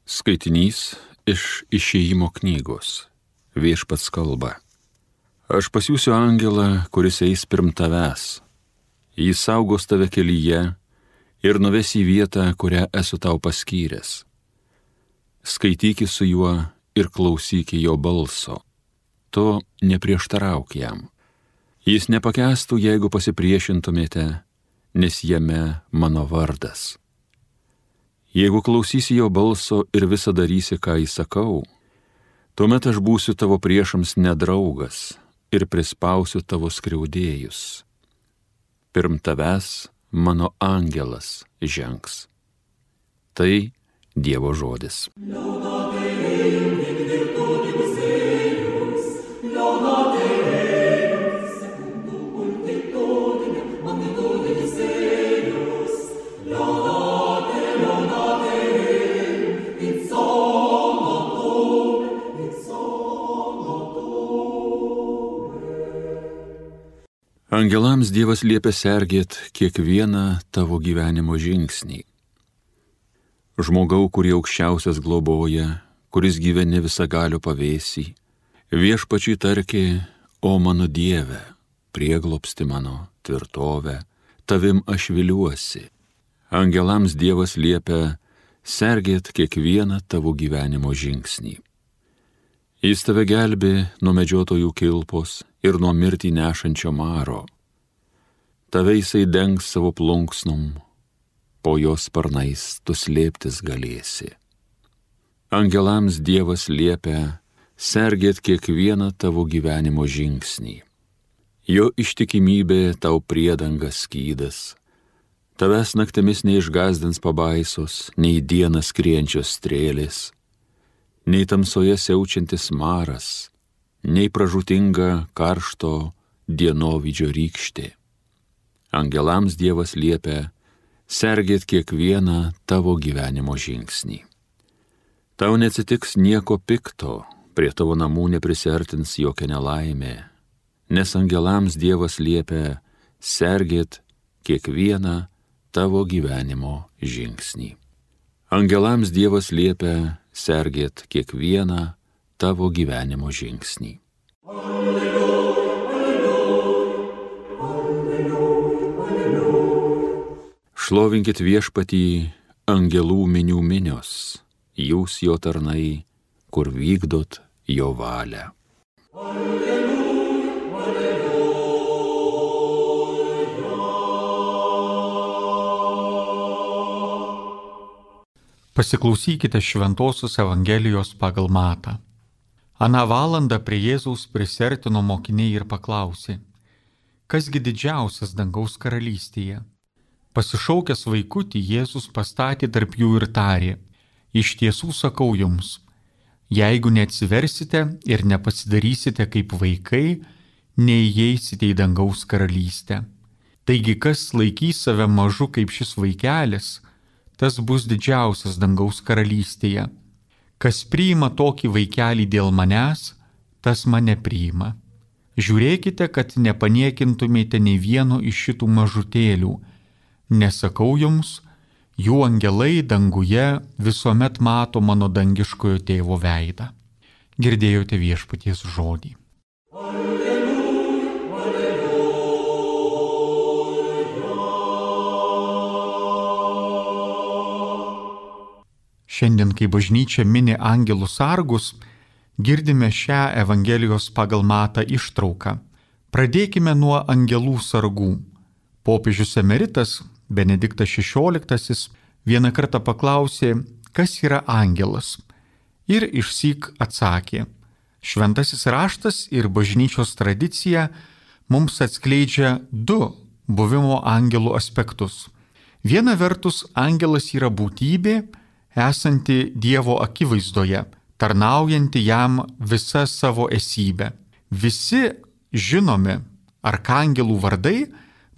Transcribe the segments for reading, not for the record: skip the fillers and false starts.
Skaitinys iš Išėjimo knygos. Viešpats kalba. Aš pasiųsiu angelą, kuris eis pirm tavęs. Jis saugos tave kelyje ir nuves į vietą, kurią esu tau paskyręs. Skaityki su juo ir klausyki jo balso. Tu neprieštarauk jam. Jis nepakęstų, jeigu pasipriešintumėte, nes jame mano vardas. Jeigu klausysi jo balso ir visą darysi, ką įsakau, tuomet aš būsiu tavo priešams nedraugas ir prispausiu tavo skriaudėjus. Pirm tavęs mano angelas žengs. Tai Dievo žodis. Angelams Dievas liepia sergėt kiekvieną tavo gyvenimo žingsnį. Žmogau, kurį aukščiausias globoja, kuris gyveni visagalio pavėsį, viešpačiui tarki, o mano Dieve, prieglobsti mano tvirtovę, tavim aš viliuosi. Angelams Dievas liepia sergėt kiekvieną tavo gyvenimo žingsnį. Jis tave gelbė nuo medžiotojų kilpos ir nuo mirtį nešančio maro. Tave jisai dengs savo plunksnom, po jos sparnais tu slėptis galėsi. Angelams Dievas liepia sergėt kiekvieną tavo gyvenimo žingsnį. Jo ištikimybė tau priedanga skydas. Tavęs naktimis neišgazdins pabaisos, nei dieną skrienčios strėlės, nei tamsoje siaučiantis maras, nei pražūtinga karšto dienovydžio rykštė. Angelams Dievas liepia sergėt kiekvieną tavo gyvenimo žingsnį. Tau neatsitiks nieko pikto, prie tavo namų neprisiartins jokia nelaimė, nes angelams Dievas liepia sergėt kiekvieną tavo gyvenimo žingsnį. Angelams Dievas liepia sergėt kiekvieną tavo gyvenimo žingsnį. Alleluja, alleluja, alleluja. Šlovinkit Viešpatį angelų minių minios, jūs jo tarnai, kur vykdot jo valią. Alleluja, alleluja. Pasiklausykite Šventosios Evangelijos pagal Matą. Aną valandą prie Jėzaus prisiartino mokiniai ir paklausė, kasgi didžiausias dangaus karalystėje? Pasišaukęs vaikutį, Jėzus pastatė tarp jų ir tarė, iš tiesų sakau jums, jeigu neatsiversite ir nepasidarysite kaip vaikai, neįeisite į dangaus karalystę. Taigi, kas laikys save mažu kaip šis vaikelis, tas bus didžiausias dangaus karalystėje. Kas priima tokį vaikelį dėl manęs, tas mane priima. Žiūrėkite, kad nepaniekintumėte nei vieno iš šitų mažutėlių. Nesakau jums, jų angelai danguje visuomet mato mano dangiškojo tėvo veidą. Girdėjote Viešpaties žodį. Šiandien, kai bažnyčia mini angelų sargus, girdime šią Evangelijos pagal Matą ištrauką. Pradėkime nuo angelų sargų. Popiežius emeritas Benediktas XVI vieną kartą paklausė, kas yra angelas, ir išsyk atsakė. Šventasis raštas ir bažnyčios tradicija mums atskleidžia du buvimo angelų aspektus. Viena vertus, angelas yra būtybė, esanti Dievo akivaizdoje, tarnaujanti jam visą savo esybę. Visi žinomi arkangelų vardai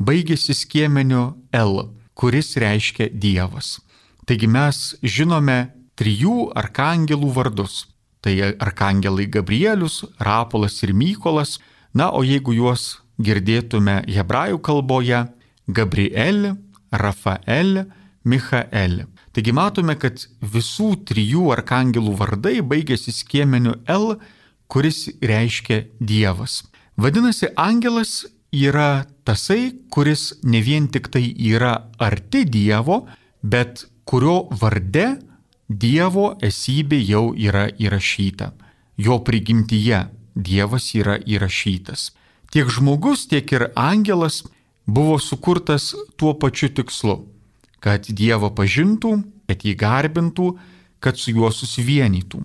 baigėsi skiemeniu L, kuris reiškia Dievas. Taigi mes žinome 3 arkangelų vardus. Tai arkangelai Gabrielius, Rapolas ir Mykolas. Na, o jeigu juos girdėtume hebrajų kalboje, Gabriel, Rafael, Michael. Taigi matome, kad visų 3 arkangelų vardai baigėsi skiemeniu L, kuris reiškia Dievas. Vadinasi, angelas yra tasai, kuris ne vien tik tai yra arti Dievo, bet kurio varde Dievo esybė jau yra įrašyta. Jo prigimtyje Dievas yra įrašytas. Tiek žmogus, tiek ir angelas buvo sukurtas tuo pačiu tikslu, kad Dievą pažintų, kad jį garbintų, kad su juo susivienytų.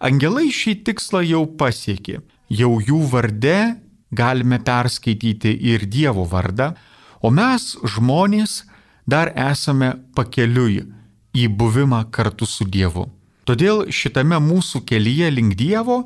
Angelai šį tikslą jau pasiekė. Jau jų varde galime perskaityti ir Dievo vardą, o mes, žmonės, dar esame pakeliui į buvimą kartu su Dievu. Todėl šitame mūsų kelyje link Dievo,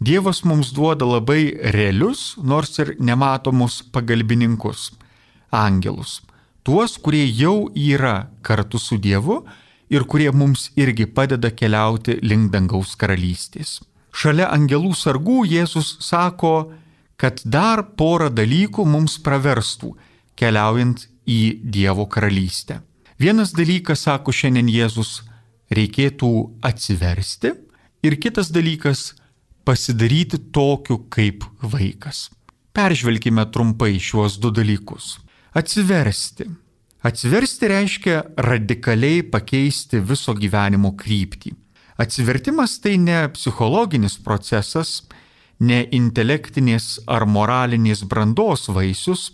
Dievas mums duoda labai realius, nors ir nematomus pagalbininkus – angelus. Tuos, kurie jau yra kartu su Dievu ir kurie mums irgi padeda keliauti link dangaus karalystės. Šalia angelų sargų Jėzus sako, kad dar porą dalykų mums praverstų, keliaujant į Dievo karalystę. Vienas dalykas, sako šiandien Jėzus, reikėtų atsiversti, ir kitas dalykas – pasidaryti tokiu kaip vaikas. Peržvelkime trumpai šiuos 2 dalykus. Atsiversti. Atsiversti reiškia radikaliai pakeisti viso gyvenimo kryptį. Atsivertimas tai ne psichologinis procesas, ne intelektinės ar moralinės brandos vaisius,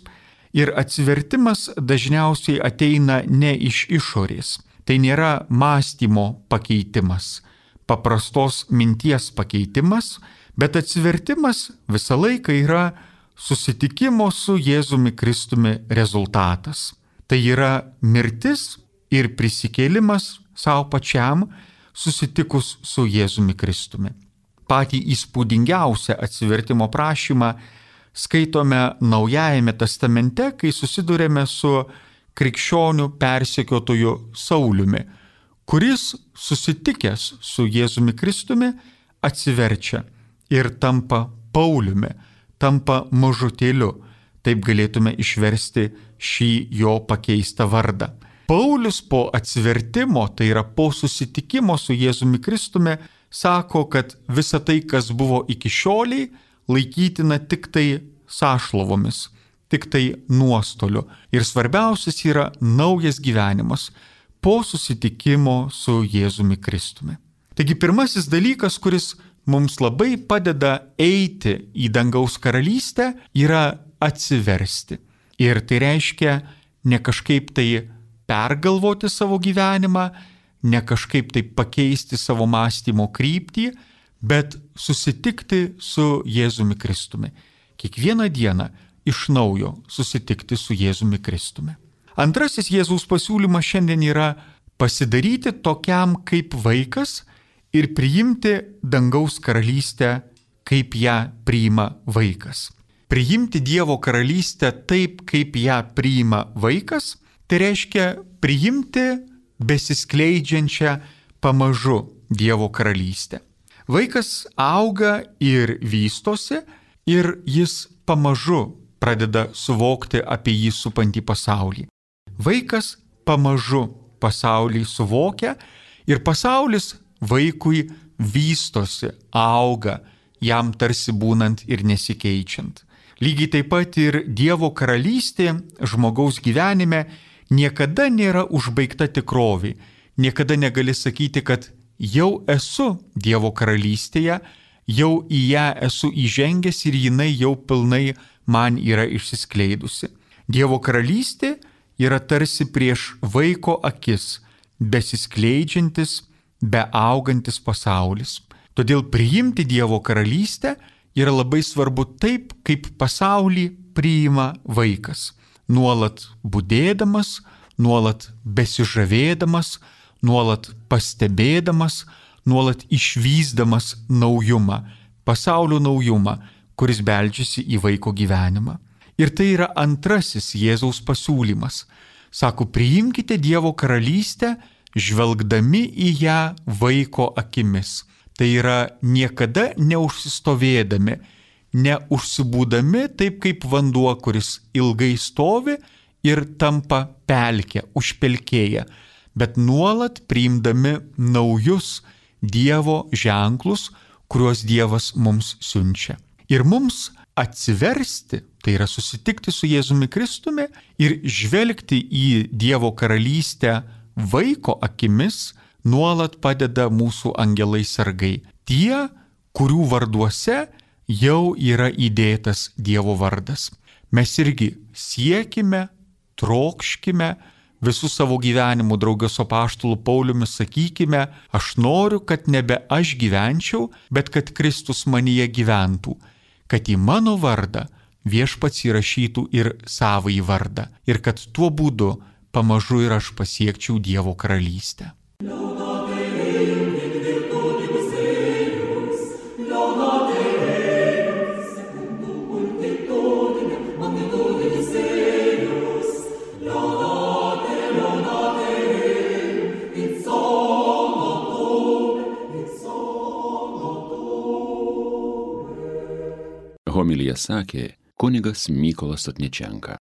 ir atsivertimas dažniausiai ateina ne iš išorės. Tai nėra mąstymo pakeitimas, paprastos minties pakeitimas, bet atsivertimas visą laiką yra susitikimo su Jėzumi Kristumi rezultatas. Tai yra mirtis ir prisikėlimas savo pačiam susitikus su Jėzumi Kristumi. Patį įspūdingiausią atsivertimo prašymą skaitome Naujajame testamente, kai susidurėme su krikščionių persekiotoju Sauliumi, kuris susitikęs su Jėzumi Kristumi atsiverčia ir tampa Pauliumi, tampa mažutėliu. Taip galėtume išversti šį jo pakeistą vardą. Paulius po atsivertimo, tai yra po susitikimo su Jėzumi Kristumi, sako, kad visa tai, kas buvo iki šioliai, laikytina tik tai sąšlovomis, tik tai nuostoliu. Ir svarbiausias yra naujas gyvenimas po susitikimo su Jėzumi Kristumi. Taigi pirmasis dalykas, kuris mums labai padeda eiti į dangaus karalystę, yra atsiversti. Ir tai reiškia ne kažkaip tai pergalvoti savo gyvenimą, ne kažkaip tai pakeisti savo mąstymo kryptį, bet susitikti su Jėzumi Kristumi. Kiekvieną dieną iš naujo susitikti su Jėzumi Kristumi. Antrasis Jėzaus pasiūlymas šiandien yra pasidaryti tokiam kaip vaikas ir priimti dangaus karalystę, kaip ją priima vaikas. Priimti Dievo karalystę taip, kaip ją priima vaikas, tai reiškia priimti besiskleidžiančią pamažu Dievo karalystę. Vaikas auga ir vystosi ir jis pamažu pradeda suvokti apie jį supantį pasaulį. Vaikas pamažu pasaulį suvokia ir pasaulis vaikui vystosi, auga, jam tarsi būnant ir nesikeičiant. Lygiai taip pat ir Dievo karalystė žmogaus gyvenime niekada nėra užbaigta tikrovė. Niekada negali sakyti, kad jau esu Dievo karalystėje, jau į ją esu įžengęs ir jinai jau pilnai man yra išsiskleidusi. Dievo karalystė yra tarsi prieš vaiko akis, besiskleidžiantis, beaugantis pasaulis. Todėl priimti Dievo karalystę yra labai svarbu taip, kaip pasaulį priima vaikas. Nuolat budėdamas, nuolat besižavėdamas, nuolat pastebėdamas, nuolat išvysdamas naujumą, pasaulio naujumą, kuris beldžiasi į vaiko gyvenimą. Ir tai yra antrasis Jėzaus pasiūlymas. Sako, priimkite Dievo karalystę, žvelgdami į ją vaiko akimis. Tai yra niekada neužsistovėdami, neužsibūdami taip kaip vanduo, kuris ilgai stovi ir tampa pelkė, užpelkėja. bet nuolat priimdami naujus Dievo ženklus, kuriuos Dievas mums siunčia. Ir mums atsiversti, tai yra susitikti su Jėzumi Kristumi ir žvelgti į Dievo karalystę vaiko akimis, nuolat padeda mūsų angelai sargai. Tie, kurių varduose jau yra įdėtas Dievo vardas. Mes irgi siekime, trokškime, visų savo gyvenimų draugė su apaštulu Pauliumi sakykime, aš noriu, kad nebe aš gyvenčiau, bet kad Kristus manyje gyventų, kad į mano vardą Viešpats įrašytų ir savąjį vardą ir kad tuo būdu pamažu ir aš pasiekčiau Dievo karalystę. Homiliją sakė kunigas Mykolas Sotničenka.